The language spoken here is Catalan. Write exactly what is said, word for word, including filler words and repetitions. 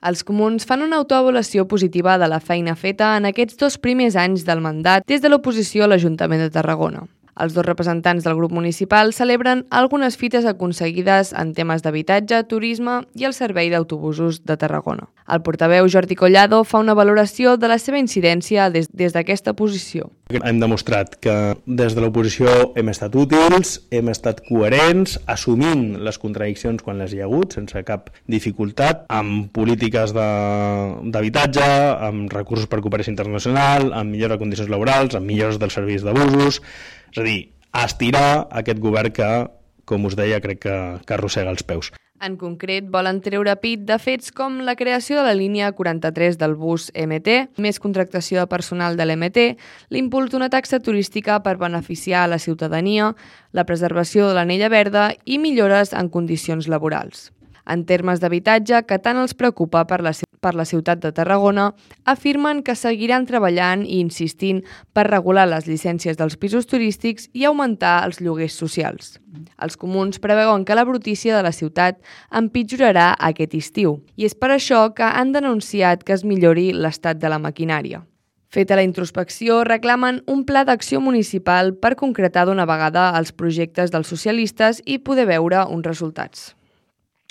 Els comuns fan una autoavaluació positiva de la feina feta en aquests dos primers anys del mandat des de l'oposició a l'Ajuntament de Tarragona. Els dos representants del grup municipal celebren algunes fites aconseguides en temes d'habitatge, turisme i el servei d'autobusos de Tarragona. El portaveu Jordi Collado fa una valoració de la seva incidència des, des d'aquesta posició. Hem demostrat que des de l'oposició hem estat útils, hem estat coherents, assumint les contradiccions quan les hi ha hagut, sense cap dificultat, amb polítiques d'habitatge, amb recursos per cooperació internacional, amb millora de condicions laborals, amb millores dels serveis d'abusos. És a dir, a estirar aquest govern que, com us deia, crec que, que arrossega els peus. En concret, volen treure pit de fets com la creació de la línia quaranta-tres del bus M T, més contractació de personal de l'M T, l'impuls d'una taxa turística per beneficiar a la ciutadania, la preservació de l'anella verda i millores en condicions laborals. En termes d'habitatge, que tant els preocupa per la, per la ciutat de Tarragona, afirmen que seguiran treballant i insistint per regular les llicències dels pisos turístics i augmentar els lloguers socials. Els comuns preveuen que la brutícia de la ciutat empitjorarà aquest estiu i és per això que han denunciat que es millori l'estat de la maquinària. Feta la introspecció, reclamen un pla d'acció municipal per concretar d'una vegada els projectes dels socialistes i poder veure uns resultats.